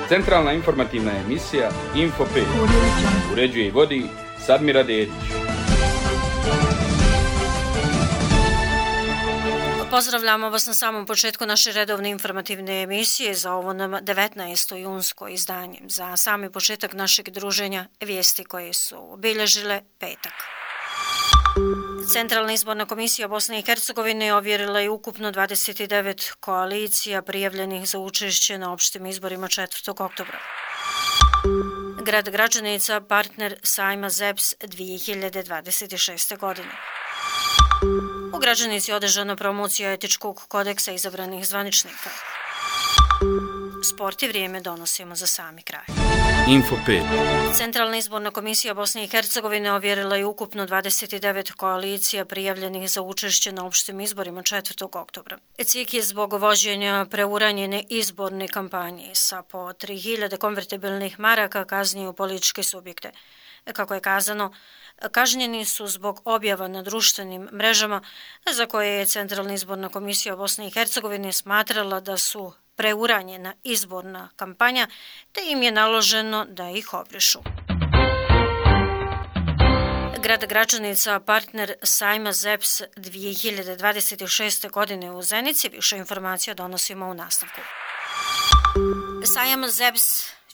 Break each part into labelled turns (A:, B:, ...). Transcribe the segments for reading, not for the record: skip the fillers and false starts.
A: Centralna informativna emisija Info 5. Uređuje i vodi Sadmira Dedić.
B: Pozdravljamo vas na samom početku naše redovne informativne emisije za ovo 19. junsko izdanje. Za sami početak našeg druženja vijesti koje su obilježile petak. Centralna izborna komisija Bosne i Hercegovine ovjerila je ukupno 29 koalicija prijavljenih za učešće na opštim izborima 4. oktobra. Grad Gračanica partner sajma ZEPS 2026. godine. U Gračanici je održana promocija etičkog kodeksa izabranih zvaničnika. Sport i vrijeme donosimo za sami kraj.
A: Info 5.
B: Centralna izborna komisija Bosne i Hercegovine ovjerila je ukupno 29 koalicija prijavljenih za učešće na opštim izborima 4. oktobra. CIK je zbog vođenja preuranjene izborne kampanje sa po 3000 konvertibilnih maraka kaznio političke subjekte. Kako je kazano, kažnjeni su zbog objava na društvenim mrežama za koje je Centralna izborna komisija Bosne i Hercegovine smatrala da su preuranjena izborna kampanja, te im je naloženo da ih obrišu. Grad Gračanica partner sajma ZEPS 2026. godine u Zenici. Više informacija donosimo u nastavku. Sajam ZEPS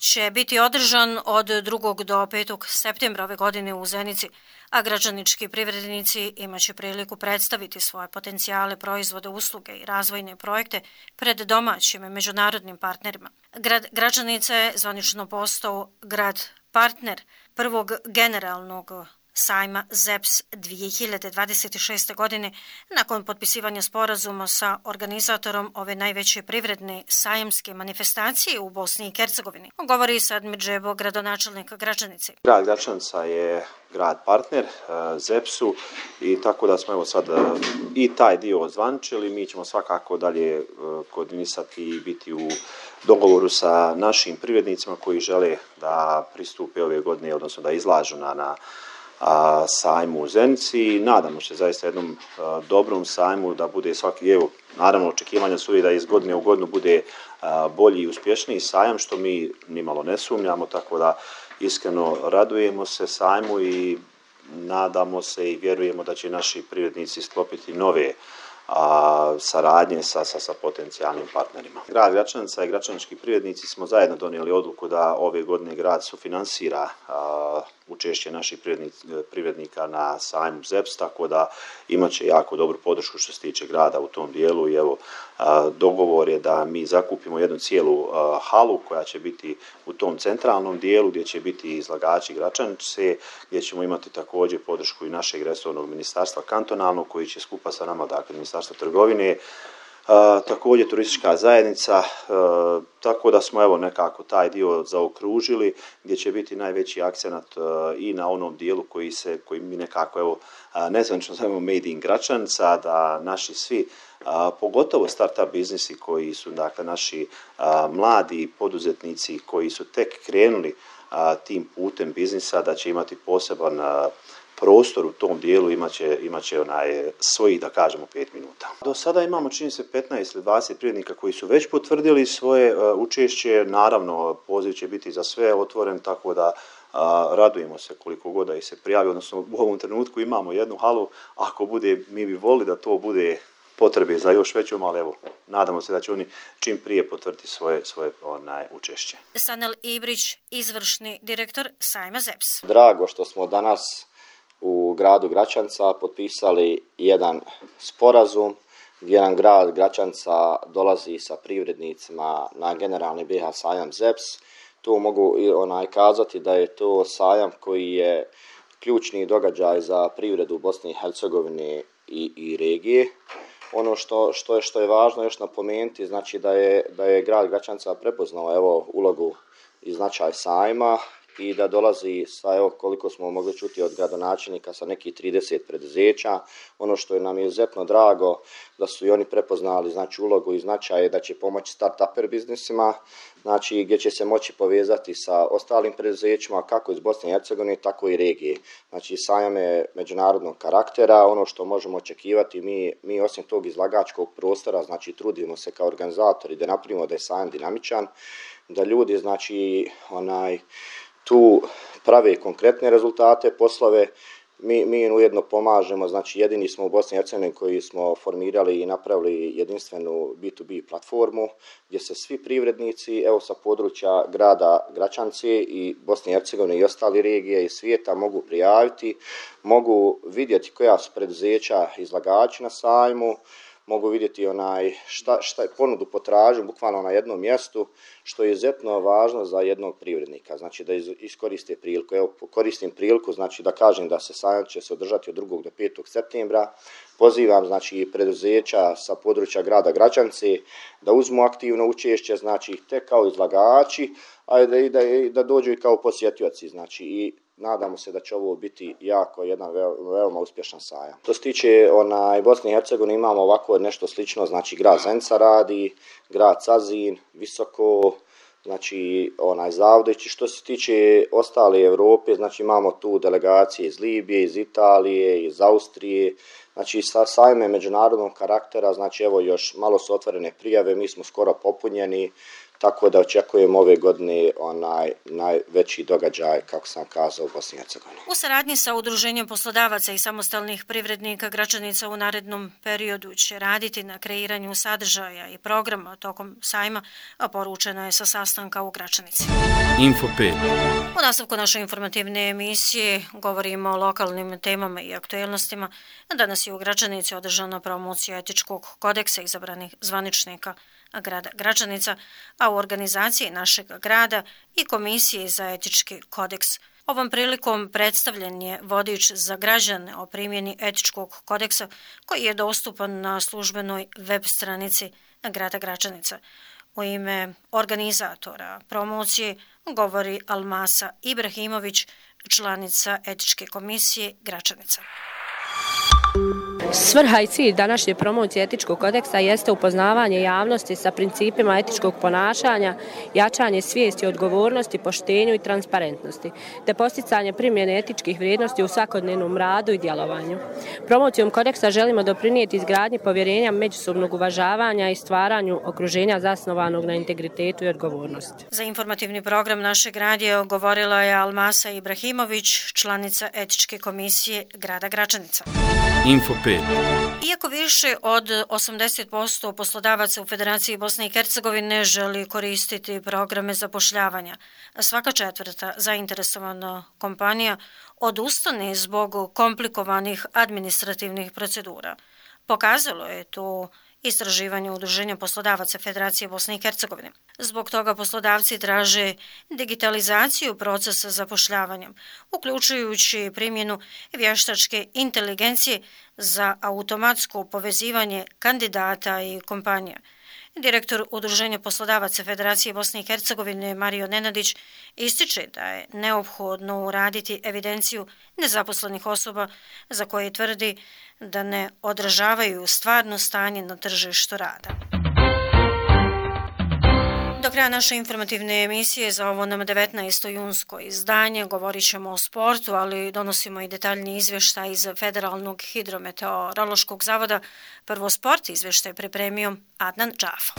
B: će biti održan od 2. do 5. septembra ove godine u Zenici, a gračanički privrednici imaće priliku predstaviti svoje potencijale, proizvode, usluge i razvojne projekte pred domaćim i međunarodnim partnerima. Grad Gračanica je zvanično postao grad partner prvog generalnog sajma ZEPS 2026. godine nakon potpisivanja sporazuma sa organizatorom ove najveće privredne sajamske manifestacije u Bosni i Hercegovini. Govori Sadmir Džebo, gradonačelnik Gračanice.
C: Grad Gračanica je grad partner ZEPS-u i tako da smo evo sad i taj dio ozvaničili. Mi ćemo svakako dalje koordinisati i biti u dogovoru sa našim privrednicima koji žele da pristupe ove godine, odnosno da izlažu na sajmu u Zenici. Nadamo se zaista jednom dobrom sajmu da bude svaki, evo, naravno očekivanja su i da iz godine u godinu bude bolji i uspješniji sajam, što mi nimalo ne sumnjamo, tako da iskreno radujemo se sajmu i nadamo se i vjerujemo da će naši privrednici sklopiti nove saradnje sa potencijalnim partnerima. Grad Gračanica i gračanički privrednici smo zajedno donijeli odluku da ove godine grad sufinansira učešće naših privrednika na sajmu ZEPS, tako da imat će jako dobru podršku što se tiče grada u tom dijelu i evo dogovor je da mi zakupimo jednu cijelu halu koja će biti u tom centralnom dijelu gdje će biti izlagači Gračanice, gdje ćemo imati također podršku i našeg resornog ministarstva kantonalnog koji će skupa sa nama, dakle Ministarstvo trgovine, također turistička zajednica, tako da smo evo nekako taj dio zaokružili gdje će biti najveći akcenat i na onom dijelu koji mi nekako evo nezvanično zovemo Made in Gračanica, da naši svi pogotovo startup biznisi koji su dakle naši mladi poduzetnici koji su tek krenuli tim putem biznisa da će imati poseban prostor u tom dijelu, imaće svojih, da kažemo, 5 minuta. Do sada imamo, čini se, 15 ili 20 privrednika koji su već potvrdili svoje učešće. Naravno, poziv će biti za sve otvoren, tako da radujemo se koliko god da ih se prijavi, odnosno u ovom trenutku imamo jednu halu, ako bude, mi bi volili da to bude potrebe za još većom, ali evo, nadamo se da će oni čim prije potvrditi svoje učešće.
B: Sanel Ibrić, izvršni direktor sajma ZEPS.
D: Drago što smo danas u gradu Gračanca potpisali jedan sporazum gdje nam grad Gračanca dolazi sa privrednicima na generalni BiH sajam ZEPS. Tu mogu kazati da je to sajam koji je ključni događaj za privredu Bosne i Hercegovine i regije. Ono što je važno još napomenuti, znači da je grad Gračanca prepoznao evo ulogu i značaj sajma i da dolazi sa, evo koliko smo mogli čuti od gradonačelnika, sa nekih 30 preduzeća. Ono što je nam je izuzetno drago da su i oni prepoznali znači ulogu i značaj da će pomoći start-uper biznisima, znači gdje će se moći povezati sa ostalim preduzećima kako iz Bosne i Hercegovine tako i regije. Znači sajam je međunarodnog karaktera, ono što možemo očekivati mi osim tog izlagačkog prostora, znači trudimo se kao organizatori da napravimo da je sajam dinamičan, da ljudi znači tu prave konkretne rezultate, poslove. Mi ujedno pomažemo, znači jedini smo u Bosni i Hercegovini koji smo formirali i napravili jedinstvenu B2B platformu gdje se svi privrednici, evo sa područja grada Gračance i Bosne i Hercegovine i ostale regije i svijeta mogu prijaviti, mogu vidjeti koja su preduzeća izlagači na sajmu, mogu vidjeti šta je ponudu potražnju bukvalno na jednom mjestu, što je izuzetno važno za jednog privrednika, znači da iskoriste priliku. Evo, koristim priliku, znači da kažem da se sajam će se održati od 2. do 5. septembra. Pozivam znači preduzeća sa područja grada Gračance da uzmu aktivno učešće, znači te kao izlagači, a da dođu i kao posjetioci, znači i nadamo se da će ovo biti jedan veoma uspješan sajam. Što se tiče Bosne i Hercegovine imamo ovako nešto slično, znači grad Zenica radi, grad Cazin, Visoko, znači Zavodić. Što se tiče ostale Europe, znači imamo tu delegacije iz Libije, iz Italije, iz Austrije, znači sa sajme međunarodnog karaktera, znači evo još malo su otvorene prijave, mi smo skoro popunjeni, tako da očekujemo ove godine najveći događaj, kako sam kazao, u Bosni i Hercegovini.
B: U saradnji sa Udruženjem poslodavaca i samostalnih privrednika Gračanica u narednom periodu će raditi na kreiranju sadržaja i programa tokom sajma, a poručeno je sa sastanka u Gračanici.
A: Info 5.
B: U nastavku naše informativne emisije govorimo o lokalnim temama i aktuelnostima. Danas je u Gračanici održana promocija etičkog kodeksa izabranih zvaničnika grada Gračanica, a u organizaciji našeg grada i Komisije za etički kodeks. Ovom prilikom predstavljen je vodič za građane o primjeni etičkog kodeksa koji je dostupan na službenoj web stranici grada Gračanica. U ime organizatora promocije govori Almasa Ibrahimović, članica etičke komisije Gračanica.
E: Svrha i cilj današnje promocije etičkog kodeksa jeste upoznavanje javnosti sa principima etičkog ponašanja, jačanje svijesti o odgovornosti, poštenju i transparentnosti, te posticanje primjene etičkih vrijednosti u svakodnevnom radu i djelovanju. Promocijom kodeksa želimo doprinijeti izgradnji povjerenja, međusobnog uvažavanja i stvaranju okruženja zasnovanog na integritetu i odgovornosti.
B: Za informativni program našeg radija govorila je Almasa Ibrahimović, članica etičke komisije grada Gračanica.
A: Info 5.
B: Iako više od 80% poslodavaca u Federaciji Bosne i Hercegovine želi koristiti programe zapošljavanja, svaka četvrta zainteresovana kompanija odustane zbog komplikovanih administrativnih procedura. Pokazalo je to istraživanje Udruženja poslodavaca Federacije Bosne i Hercegovine. Zbog toga poslodavci traže digitalizaciju procesa zapošljavanja, uključujući primjenu vještačke inteligencije za automatsko povezivanje kandidata i kompanija. Direktor Udruženja poslodavaca Federacije Bosne i Hercegovine Mario Nenadić ističe da je neophodno uraditi evidenciju nezaposlenih osoba za koje tvrdi da ne odražavaju stvarno stanje na tržištu rada. Do kraja naše informativne emisije za ovo nam 19. junsko izdanje govorit ćemo o sportu, ali donosimo i detaljni izvještaj iz Federalnog hidrometeorološkog zavoda. Prvo sport izvještaj pripremio Adnan Džafa.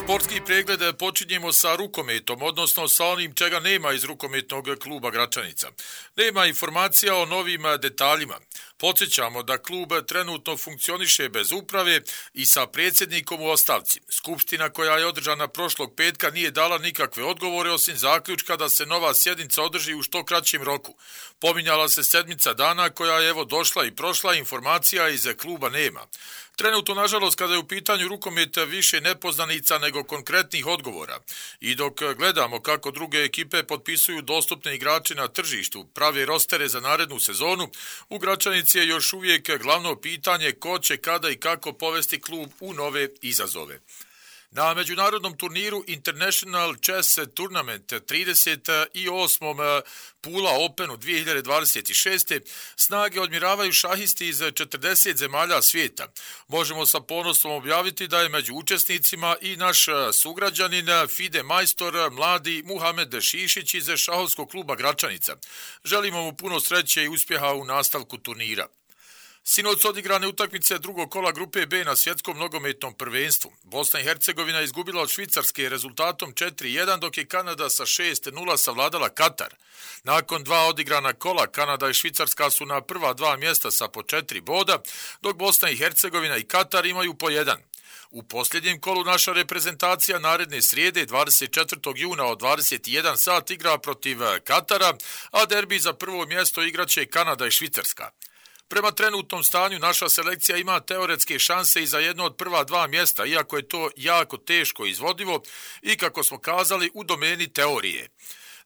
F: Sportski pregled počinjemo sa rukometom, odnosno sa onim čega nema iz rukometnog kluba Gračanica. Nema informacija o novim detaljima. Podsjećamo da klub trenutno funkcioniše bez uprave i sa predsjednikom u ostavci. Skupština koja je održana prošlog petka nije dala nikakve odgovore osim zaključka da se nova sjednica održi u što kraćem roku. Pominjala se sedmica dana koja je evo došla i prošla, informacija iz kluba nema. Trenutno, nažalost, kada je u pitanju rukomet, više nepoznanica nego konkretnih odgovora. I dok gledamo kako druge ekipe potpisuju dostupne igrače na tržištu, prave rostere za narednu sezonu, u Gračanici je još uvijek glavno pitanje ko će kada i kako povesti klub u nove izazove. Na međunarodnom turniru International Chess Tournament 38. Pula Openu 2026. snage odmiravaju šahisti iz 40 zemalja svijeta. Možemo sa ponosom objaviti da je među učesnicima i naš sugrađanin FIDE majstor mladi Muhamed Šišić iz šahovskog kluba Gračanica. Želimo mu puno sreće i uspjeha u nastavku turnira. Sinoć odigrane utakmice drugog kola grupe B na svjetskom nogometnom prvenstvu. Bosna i Hercegovina izgubila od Švicarske rezultatom 4-1, dok je Kanada sa 6-0 savladala Katar. Nakon 2 odigrana kola, Kanada i Švicarska su na prva 2 mjesta sa po 4 boda, dok Bosna i Hercegovina i Katar imaju po 1. U posljednjem kolu naša reprezentacija naredne srijede 24. juna od 21 sat igra protiv Katara, a derbi za prvo mjesto igraće Kanada i Švicarska. Prema trenutnom stanju naša selekcija ima teoretske šanse i za jedno od prva 2 mjesta, iako je to jako teško izvodivo i, kako smo kazali, u domeni teorije.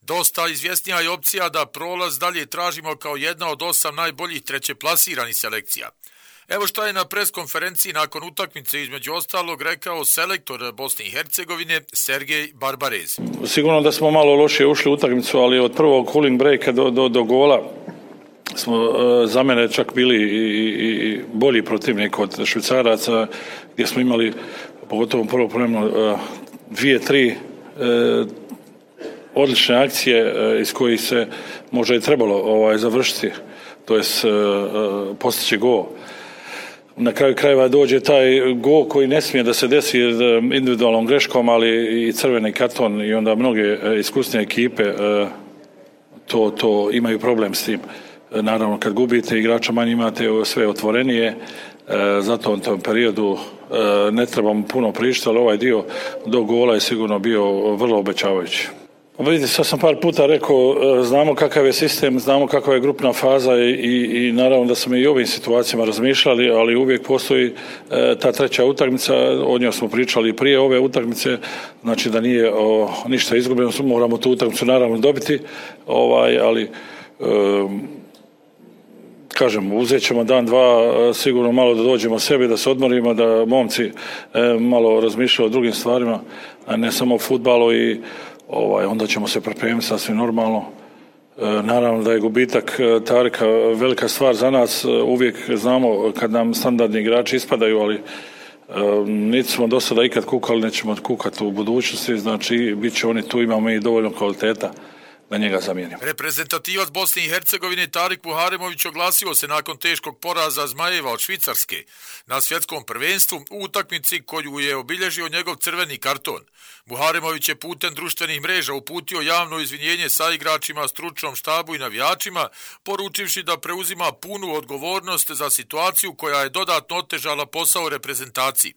F: Dosta izvjesnija je opcija da prolaz dalje tražimo kao jedna od 8 najboljih trećeplasiranih selekcija. Evo šta je na preskonferenciji nakon utakmice između ostalog rekao selektor Bosne i Hercegovine Sergej Barbarez.
G: Sigurno da smo malo lošije ušli u utakmicu, ali od prvog cooling breaka do gola smo za mene čak bili i bolji protivnik od Švicaraca, gdje smo imali, pogotovo prvo vremenu, 2-3 odlične akcije iz kojih se možda i trebalo završiti, to jest postići gol. Na kraju krajeva dođe taj gol koji ne smije da se desi individualnom greškom, ali i crveni karton, i onda mnoge iskusne ekipe to imaju problem s tim. Naravno, kad gubite igrača manje imate sve otvorenije, zato u tom periodu ne trebamo puno pričati, ali ovaj dio do gola je sigurno bio vrlo obećavajući. Vidite, sad sam par puta rekao, znamo kakav je sistem, znamo kakva je grupna faza i naravno da smo i u ovim situacijama razmišljali, ali uvijek postoji ta treća utakmica, o njoj smo pričali prije ove utakmice, znači da nije ništa izgubljeno, moramo tu utakmicu naravno dobiti, ali kažem, uzet ćemo dan, dva, sigurno malo da dođemo sebi, da se odmorimo, da momci malo razmišljaju o drugim stvarima, a ne samo o fudbalu, i onda ćemo se pripremiti sasvim normalno. Naravno da je gubitak Tarika velika stvar za nas, uvijek znamo kad nam standardni igrači ispadaju, ali niti smo do sada ikad kukali, nećemo kukati u budućnosti, znači bit će oni tu, imamo i dovoljno kvaliteta da njega zamijenimo.
F: Reprezentativac Bosne i Hercegovine Tarik Muharemović oglasio se nakon teškog poraza Zmajeva od Švicarske na svjetskom prvenstvu u utakmici koju je obilježio njegov crveni karton. Muharemović je putem društvenih mreža uputio javno izvinjenje sa igračima, stručnom štabu i navijačima, poručivši da preuzima punu odgovornost za situaciju koja je dodatno otežala posao reprezentaciji.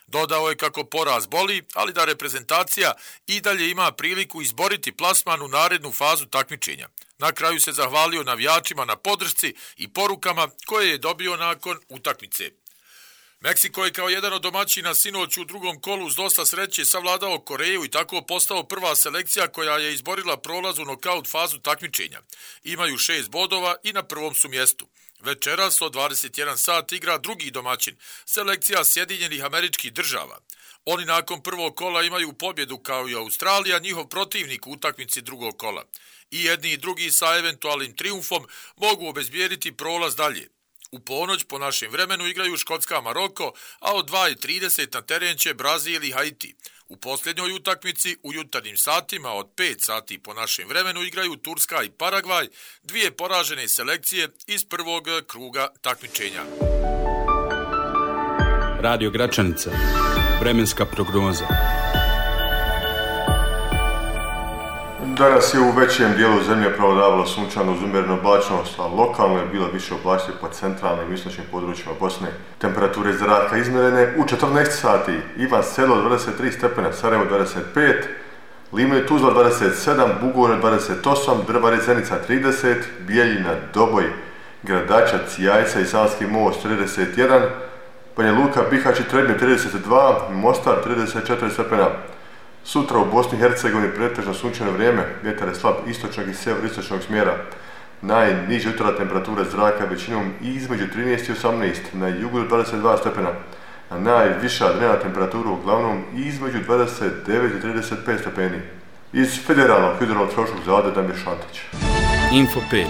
F: Dodao je kako poraz boli, ali da reprezentacija i dalje ima priliku izboriti plasman u narednu fazu takmičenja. Na kraju se zahvalio navijačima na podršci i porukama koje je dobio nakon utakmice. Meksiko je kao jedan od domaćina sinoć u drugom kolu s dosta sreće savladao Koreju i tako postao prva selekcija koja je izborila prolaz u nokaut fazu takmičenja. Imaju 6 bodova i na prvom su mjestu. Večeras od 21 sat igra drugi domaćin, selekcija Sjedinjenih Američkih Država. Oni nakon prvog kola imaju pobjedu kao i Australija, njihov protivnik u utakmici drugog kola. I jedni i drugi sa eventualnim trijumfom mogu obezbijediti prolaz dalje. U ponoć po našem vremenu igraju Škotska Maroko, a od 2:30 na teren će Brazil i Haiti. U posljednjoj utakmici u jutarnjim satima od 5 sati po našem vremenu igraju Turska i Paragvaj, dvije poražene selekcije iz prvog kruga takmičenja.
A: Radio Gračanica. Vremenska prognoza.
H: Danas je u većem dijelu zemlje prevladavalo sunčano uz umjerenu oblačnost, a lokalno je bilo više oblačnosti po centralnim i istočnim područjima Bosne. Temperature zraka izmjerene u 14 sati. Ivan Selo 23 stepena, Sarajevo 25, Livno i Tuzla 27, Bugojno 28, Drvar i Zenica 30, Bijeljina, Doboj, Gradačac, Jajca i Savski most 31, Banja Luka, Bihać i Trebnje 32, Mostar 34 stepena. Sutra u Bosni i Hercegovini pretežno sunčano vrijeme, vjetar je slab istočnog i sjeveroistočnog smjera. Najniža jutarnja temperatura zraka većinom između 13 i 18, na jugu 22 stepena. a najviša dnevna temperatura uglavnom između 29 i 35 stepeni. Iz Federalnog hidrometeorološkog zavoda Damir Šantić.
A: Info 5.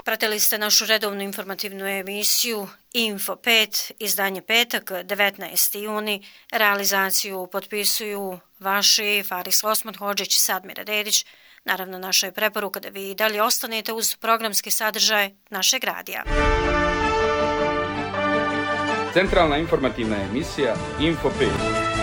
B: Pratili ste našu redovnu informativnu emisiju Info 5, izdanje petak, 19. juni. Realizaciju potpisuju vaši Faris Osman Hodžić, Sadmira Dedić. Naravno, naša je preporuka da vi dalje ostanete uz programski sadržaj našeg radija.
A: Centralna informativna emisija Info 5.